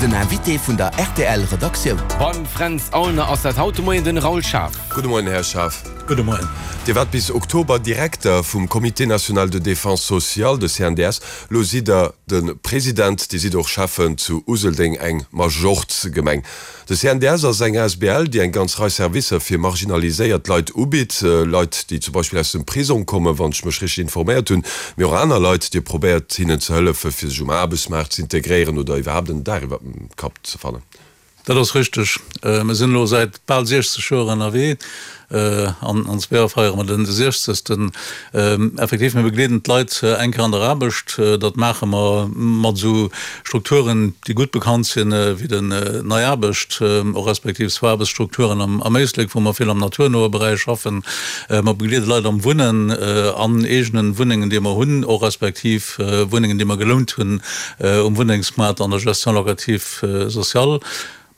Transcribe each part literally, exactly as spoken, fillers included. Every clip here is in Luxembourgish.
Den Invité vun der R T L Redaktioun. Beim Fränz Aulner ass dat haut de Moien den Raoul Schaaf. Gudde Moien, Här Schaaf. Gudde Moien. Dir waart bis Oktober Direkter vum Comité national de défense sociale, de C N D S. Lo sidd Der de President. Dir sidd och Schäffen zu Useldeng, eng Majorz-Gemeng. De C N D S ass eng A S B L, déi eng ganz Rei Servicer fir marginaliséiert Leit ubitt. Leit, déi zum Beispill aus dem Prisong kommen, wann ech mech richteg informéiert hunn, mee och aner Leit. Dir probéiert hinnen ze hëllefen, fir sech um Aarbechtsmaart ze integréieren oder iwwerhaapt en Daach iwwer dem Kapp ze fannen. Dat ass richteg. Mir sinn elo säit bal siechzeg Joer ënnerwee. An an zwee Joer feiere mer den siechzegsten. Effektiv, mir begleeden d'Leit eng Kéier an der Aarbecht. Dat maache mer mat esou Strukturen, déi gutt bekannt sinn, wéi den Nei Aarbecht, och respektiv zwou Aarbechtsstrukturen am am Éislek, wou mer vill am naturnoe Beräich schaffen. Mer begleede Leit am Wunnen, an eegene Wunnengen, déi mer hunn, och respektiv Wunnengen, déi mer gelount hunn um Wunnengsmaart an der Gestion locative sociale.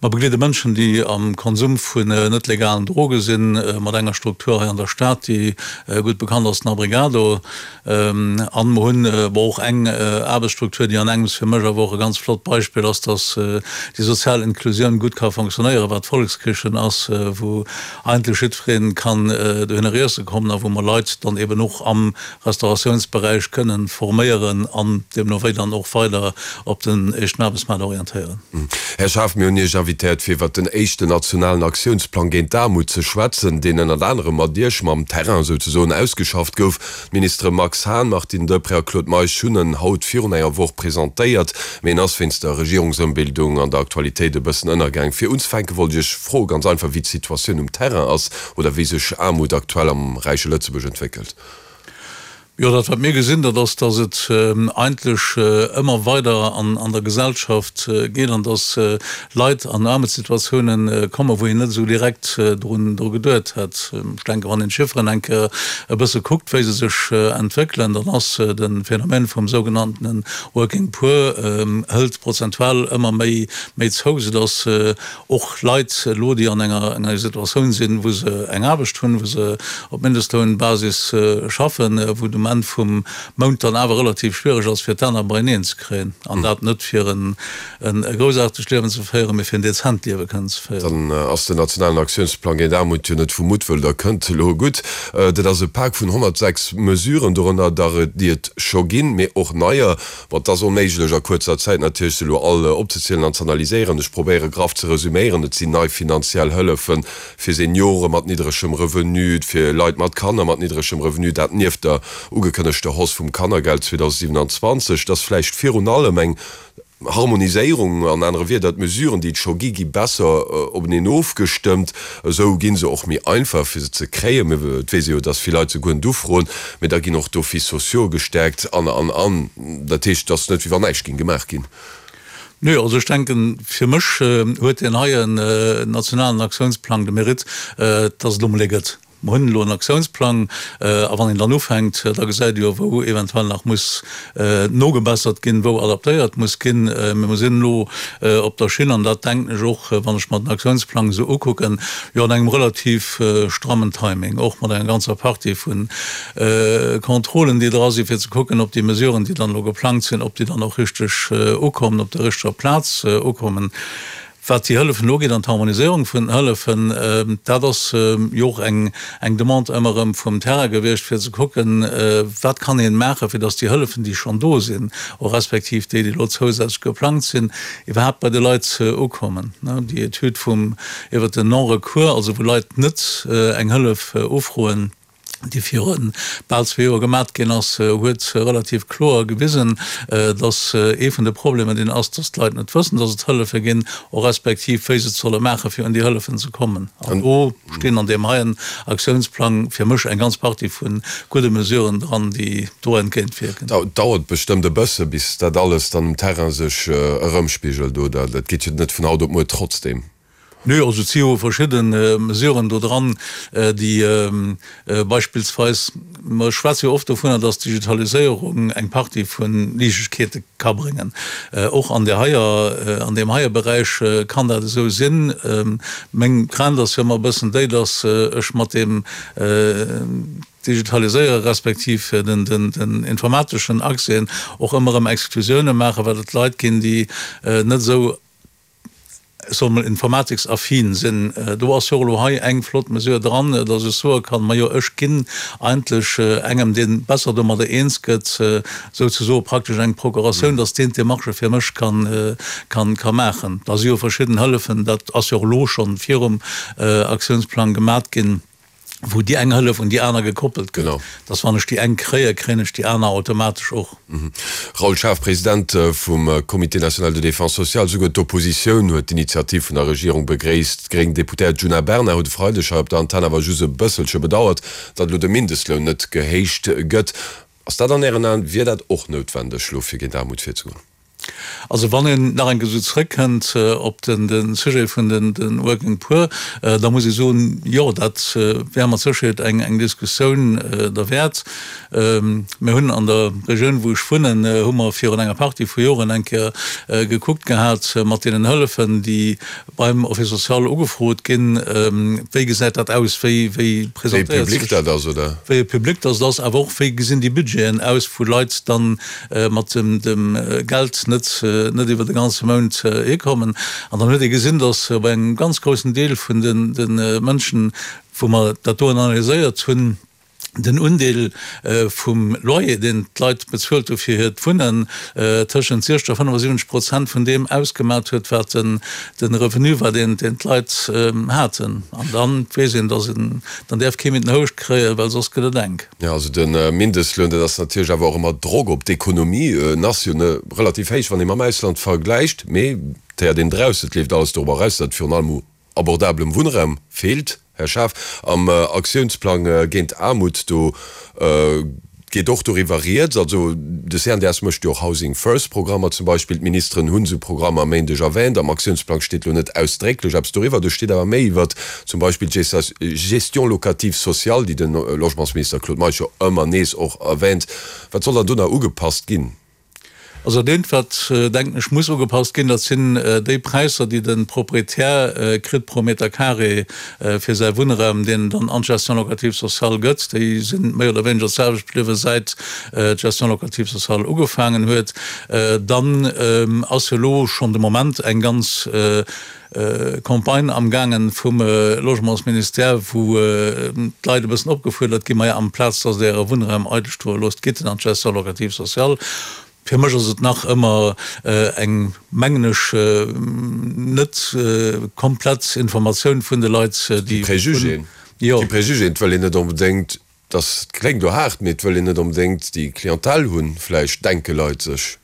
Mer begleede Mënschen, déi am Konsum vun net legalen Droge sinn, mat enger Struktur hei an der Stad, déi gutt bekannt ass, den Abrigado. An mer hunn awer och eng Aarbechtsstruktur, déi an engems fir mech awer och e ganz flott Beispill ass, dass déi sozial Inklusioun gutt ka fonctionnéieren, wat d'Volkskichen ass, wou eigentlech jiddweree kann dohinner iesse kommen a wou mer Leit dann eben och am Restauratiounsberäich kënnen forméieren an deemno wéi dann och weider op den éischten Aarbechtsmaart orientéieren. Här Schaaf, mir hunn Iech invitéiert, fir iwwert den éischten nationalen Aktiounsplang géint d'Aarmut ze schwätzen, deen ënnert anerem mat Iech, mam Terrain souzesoen, ausgeschafft gouf. D'Ministere Max Hahn, Martine Deprez a Claude Meisch hunn en haut virun enger Woch presentéiert, mee en ass wéinst der Regierungsëmbildung an der Aktualitéit e bëssen ënnergaang. Fir unzefänke wollt ech Iech froe ganz einfach, wéi d'Situatioun um Terrain ass oder wéi sech Aarmut aktuell am räiche Lëtzebuerg entwéckelt. Jo, dat wat mir gesinn, dat ass, datt et eigentlech ëmmer weider an an der Gesellschaft geet an datt Leit an Aarmutssituatiounen kommen, wou een net esou direkt drun dru geduet hätt. Ech denken, wann een d'Chifferen eng Kéier e bësse kuckt, wéi se sech entwéckelen, dann ass de Phänomen vum sougenanntene Working Poor hëlt prozentual ëmmer méi méi zou, soudatt och Leit elo, déi an enger enger Situatioun sinn, wou se eng Aarbecht hunn, wou se op Mindestlounbasis schaffen, wou et um Enn vum Mount dann awer relativ schwiereg ass, fir d'Enner beieneen ze kréien, an dat net fir en e groussaartegt Liewen ze féieren, mee fir en dezent Liewe kënnen ze féieren. Dann ass den nationalen Aktiounsplang géint Aarmut jo net vu Muttwëll, der kënnt elo gutt. Dat ass e Pak vun honnertsechs Mesuren, dorënner der, déi et scho ginn, mee och neier. Bon, et ass onméiglech a kuerzer Zäit natierlech se elo all opzezielen an z'analyséieren. Ech probéiere graff ze resuméieren, Et sinn nei finanziell Hëllefe fir Seniore mat niddregem Revenu, fir Leit mat Kanner mat niddregem Revenu, dat nieft der ugekënnegter Hausse vum Kannergeld zweedausendsiwenanzwanzeg. Et ass vläicht virun allem eng Harmoniséierung, an anere Wierder, d'Mesuren, déi et scho gi, gi besser openeen ofgestëmmt. Esou gi se och méi einfach, fir se ze kréien. Mä et weess ee jo, dass vill Leit se guer net ufroen. Mä da ginn och d'Offices sociaux gestäerkt an, an, an. Dat heescht, et ass net, wéi wann näischt géing gemaach ginn. Nö, also ech denken, fir mech huet deen heien nationalen Aktiounsplang de Mérite, dass et elo emol ee gëtt. Mer hunn elo en Aktiounsplang, a wann een dann ufänkt, da gesäit ee jo, wou eventuell nach muss nogebessert ginn, wou adaptéiert muss ginn. Mee mer sinn elo op der Schinn, an dat denken ech och, wann ech mer den Aktiounsplang esou ukucken, jo an engem relativ strammen Timing, och mat enger ganzer Partie vu Contrôlen, déi dra sinn, fir ze kucken, ob déi Mesuren, déi dann elo geplangt sinn, ob déi dann och richteg ukommen, op der richteger Plaz ukommen. Wat déi Hëllefen ugeet an d'Harmoniséierung vun den Hëllefen, dat ass jo och eng Demande ëmmer erëm vum Terrain gewiescht, fir ze kucken, wat kann ee maachen, fir datt déi Hëllefen, déi schonn do sinn, och respektiv déi, déi elo zousätzlech geplangt sinn, iwwerhaapt bei de Leit ukommen. Déi Etüd vum iwwert den Non-recours, also wou Leit net eng Hëllef ufroen, déi viru bal zwee Joer gemat ginn ass, huet relativ kloer gewisen, datt ee vun de Problemer deen ass, datt d'Leit net wëssen, datt et Hëllefe ginn, och respektiv wéi se et solle maachen, fir un déi Hëllefen ze kommen. An do stinn an deem heien Aktiounsplang fir mech eng ganz Partie vu gudde Mesuren dran, déi do entgéintwierken. Et dauert bestëmmt e bësse bis dat alles dann um Terrain sech erëmspigelt, oder? Dat geet jo net vun haut op muer trotzdem. Nö, also et si jo verschidde Mesuren do dran, déi beispillsweis, mer schwätze jo oft dovunner, dass d'Digitaliséierung eng Partie vu Liichtegkeete ka bréngen. Och an där heier, an deem heie Beräich kann dat esou sinn. Meng Crainte ass jo ëmmer e bëssen déi, dass ech mat deem Digitaliséiere respektiv den informateschen Accèsen och ëmmer erëm Exklusioune maachen, well et Leit ginn, déi net esou ech soe mol, informatiksaffin sinn. Do ass jo och elo hei eng flott Mesure dran, dass ech soe kann, Majo, ech ginn eigentlech engem, dee besser domadder eens gëtt, souzesoe praktesch eng Procuratioun, dass deen d'Demarchë fir mech kann, kann, ka maachen. Da si jo verschidden Hëllefen, dat ass jo och elo schonn virum Aktiounsplang gemat ginn, wou déi eng Hëllef un déi aner gekoppelt gëtt, dass wann ech déi eng kréien, kréien ech déi aner automatesch och. Raoul Schaaf, President vum Comité national de défense sociale, Souguer d'Oppositioun huet d'initiativ vun der Regierung begréisst. D'gréng Deputéiert Djuna Bernard huet e Freideg hei op der Antenn awer just e bësselche bedauert, datt elo de Mindestloun net gehéicht gëtt. Ass dat an Ären Aen, wier dat och noutwendeg elo fir géint Aarmut virzegoen? Also wann een nach eng Kéier esou zrëckkënnt op de Sujet vun de Working Poor, da muss ee soen, jo, dat wär mat Sécherheet eng Diskussioun derwäert. Mir hunn an der Regioun, wou ech wunnen, hu mer virun enger Partie vu Joren eng Kéier gekuckt gehat mat deenen Hëllefen, déi beim Office social ugefrot ginn, wéi gesäit dat aus, wéi presentéiert sech. Wéi public dat ass, oder? Wéi public dat ass, awer och wéi gesinn déi Budgeten aus, wou Leit dann mat dem Geld net net iwwer de ganze Mount hikommen. An dann huet ee gesinn, datt bei engem ganz groussen Deel vun de Mënschen, wou mer dat doen analyséiert hunn, den Undeel vum Loyer, deen d'Leit bezuelt hu fir hiert Wunnen, tëschent siechzeg a fënnefasiwwenzeg Prozent vun deem ausgemat huet, wat de Revenu war, deen d'Leit haten. An da weess een, datt een, dann däerf kee méi den Houscht kréien, well soss gëtt et enk. Jo, also de Mindestloun, dat ass natierlech awer och ëmmer Drock op d'Ekonomie. En ass jo relativ héich, wann ee mam Ausland vergläicht, mee et héiert een draussen, et leeft alles dorobber eraus, datt et virun allem u abordablem Wunnraum feelt. Här Schaaf, am Aktiounsplang géint Aarmut, do geet och doriwwer rieds. Also de C N D S mécht jo och Housing First Programmer zum Beispill. D'Ministeren hunn esou Programmer e Méindeg erwähnt. Am Aktiounsplang steet elo net ausdrécklech eppes doriwwer. Do steet awer méi iwwert zum Beispill d'Gestion locative sociale, déi de Logementsminister Claude Meisch jo ëmmer nees och erwähnt. Wat soll dann do nach ugepasst ginn? Also dat eent, wat, denken ech, muss ugepasst ginn, dat sinn déi Präisser, déi de Proprietär kritt pro Meter carré fir säi Wunnraum, deen en dann an d'Gestion locative sociale gëtt. Déi si méi oder wéineger d'selwecht bliwwen, säit d'Gestion locative sociale ugefaangen huet. Dann ass jo elo schonn de Moment eng ganz Campagne amgaangen vum Logementsministère, wou d'Leit e bëssen opgefuerdert ginn, Maja, amplaz dass Der Äre Wunnraum eidel stoe loosst, gitt en an d'Gestion locative sociale. Fir mech ass et nach ëmmer eng, mengen ech, net komplett Informatioun vun de Leit, déi. Préjugéen. Jo. Déi Préjugéen, et wëll een net onbedéngt, dass, kléngt elo haart, mee et wëll een net onbedéngt déi Clientèle hunn, vläicht denke Leit sech.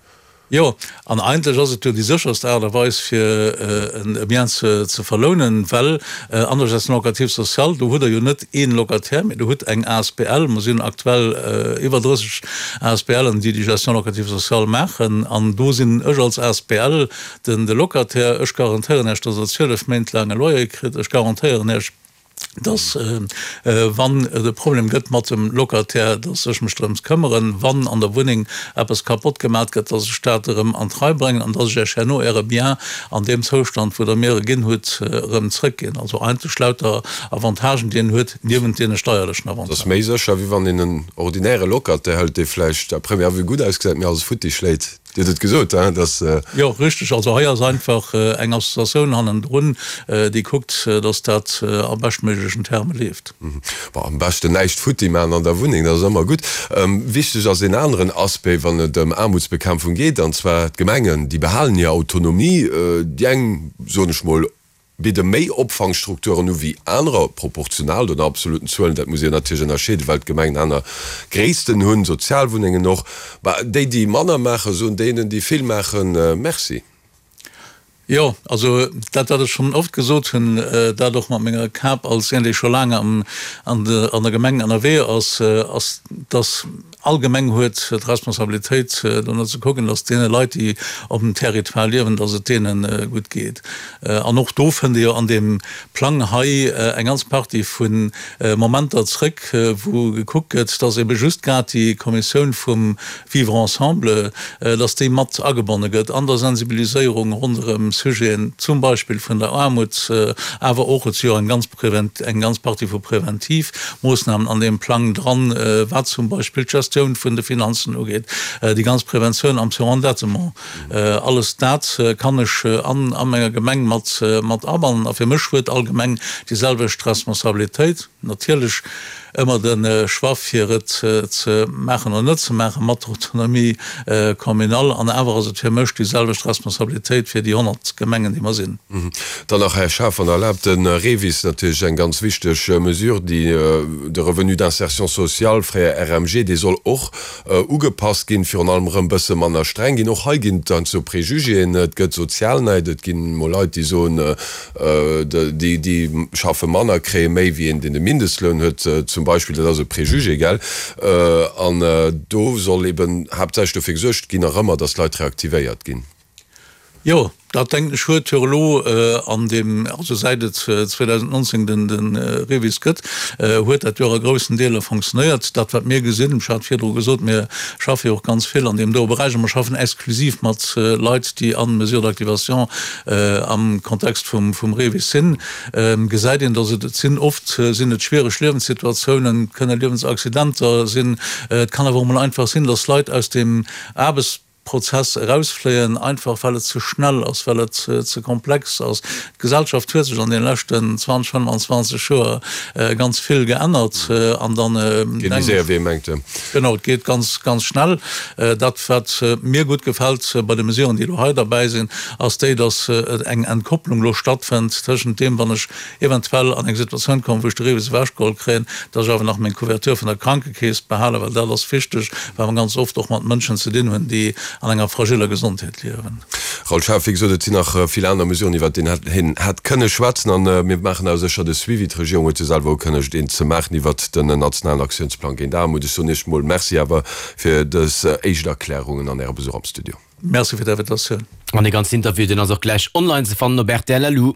Jo, an eigentlech ass et jo déi sécherst Aart a Weis, fir e Bien ze verlounen, well an der Gestion locative sociale, do hutt Der jo net ee Locataire, mee Der hutt eng asbl. Mer sinn aktuell iwwer drësseg ASBLen, déi déi Gestion locative sociale maachen. An do sinn ech als asbl den de Locataire. Ech garantéieren Iech, dass Der zwielef Méint laang e Loyer kritt. Ech garantéieren Iech, dass wann et e Problem gëtt mat dem Locataire, dass ech mech drëms këmmeren, wann an der Wunneng eppes kapott gemat gëtt, dass ech dat erëm an d'Rei bréngen an dass ech Iech herno Äre Bien an deem Zoustand, wou Der mir e ginn hutt, erëm zrëckginn. Also eigentlech lauter Avantagen, déi een huet, niewent deene steierlechen Avantagen. Dat ass méi sécher, wéi wann een en ordinäre Locataire hëlt, dee vläicht à première vue gutt ausgesäit, mee alles futti schléit. Dir hutt et gesot, hein, dass. Jo, richteg. Also hei ass einfach eng Associatioun hannendrun, déi kuckt, dass dat a beschtméiglechen Terme leeft. Bon, am beschten näischt futti maachen an der Wunneng, dat ass ëmmer gutt. Wichteg ass een aneren Aspect, wann et ëm Aarmutsbekämpfung geet, an zwar d'Gemengen. Déi behalen hir Autonomie. Déi eng, soen ech mol, bidde méi Opfangstrukturen u wéi anerer, proportional oder an absoluten Zuelen, dat muss een natierlech ënnerscheeden, well d'Gemengen aner Gréissten hunn, Sozialwunnengen och. Bah, déi, déi manner maachen, soen deenen, déi vill maachen, Merci. Jo, also dat, wat ech schonn oft gesot hunn, dat och mat menger Kap als een, dee scho laang an der Gemeng ënnerwee ass, ass, dass All Gemeng huet d'Responsabilitéit, dono ze kucken, dass deene Leit, déi op dem Territoire liewen, dass et deene gutt geet. An och do fënnt ee jo an deem Plang hei eng ganz Partie vu Momenter zrëck, wou gekuckt gëtt, dass ebe just grad déi Kommissioun vum Vivre ensemble, dass déi mat agebonne gëtt an der Sensibiliséierung ronderëm Sujeten, zum Beispill vun der Aarmut, awer och, et si jo eng ganz eng ganz Partie vu Preventivmoossnamen an deem Plang dran, wat zum Beispill d'Gestion Gestioun vun de Finanzen ugeet, déi ganz Preventioun am Surendettement, alles dat kann ech an a menger Gemeng mat mat abannen. A fir mech huet all Gemeng déi selwecht Responsabilitéit. Natierlech ëmmer de Choix fir et ze maachen oder net ze maachen, mat der Autonomie communale. An awer ass et fir mech déi selwecht Responsabilitéit fir déi honnert Gemengen, déi mer sinn. Dann nach, Här Schaaf, wann Der erlaabt, de REVIS, natierlech eng ganz wichteg Mesure, déi de Revenu d'insertion sociale, fréier R M G, dee soll och ugepasst ginn, virun allem erëm bësse manner streng ginn. Och hei ginn et heiansdo Prejugéen, et gëtt Sozialnäid, et ginn emol Leit, déi soen, déi, déi schaffe manner, kréie méi wéi een, deen de Mindestloun huet zum Beispill. Dat ass e Prejugé, gell? An do soll eben haaptsächlech dofir gesuergt ginn, nach ëmmer, dass d'Leit reaktivéiert ginn. Jo, dat denken ech huet jo elo an deem, also säit et zweedausendnonzéng den REVIS gëtt, huet dat jo a groussen Deeler fonctionnéiert. Dat wat mir gesinn, ech hat virdru gesot, mir schaffe jo och ganz vill an deem doe Beräich a mer schaffen exklusiv mat Leit, déi a Mesures d'activation am Kontext vum REVIS sinn, gesäit een, dass et, et sinn oft sinn et schwiereg Liewenssituatiounen, et kënne Liewensaccidenter sinn, et kann awer och emol einfach sinn, dass Leit aus dem Aarbechtsprozess erausfléien, einfach well et ze schnell ass, well et ze komplex ass. D'Gesellschaft huet sech an deene leschten zwanzeg, fënnfanzwanzeg Joer ganz vill geännert an dann Geet méi séier wéi ee mengt. Genau, et geet ganz, ganz schnell. Dat wat mir gutt gefält bei de Mesuren, déi elo hei derbäi sinn, ass déi, dass eng Entkopplung elo stattfënnt tëschent deem, wann ech eventuell an eng Situatioun kommen, wou ech de REVIS ewechgeholl kréien, dass ech awer nach meng Couverture vun der Krankekeess behalen, well dat ass wichteg, well mer ganz oft och mat Mënschen ze dinn hunn, déi an enger fragiller Gesondheet liewen. Raoul Schaaf, Wéi gesot, et sinn nach vill aner Mesuren, iwwert déi een hätt kënne schwätzen. A mir maachen awer sécher de Suivi. D'Regierung huet jo selwer ukënnegt, een ze maachen iwwert den nationalen Aktiounsplang géint Aarmut. Ech soen Iech mol Merci awer fir dës éischt Erklärungen an Äre Besuch am Studio. Merci fir d'Invitatioun. An dee ganzen Interview, deen ass och gläich online ze fannen op rtl punkt lu.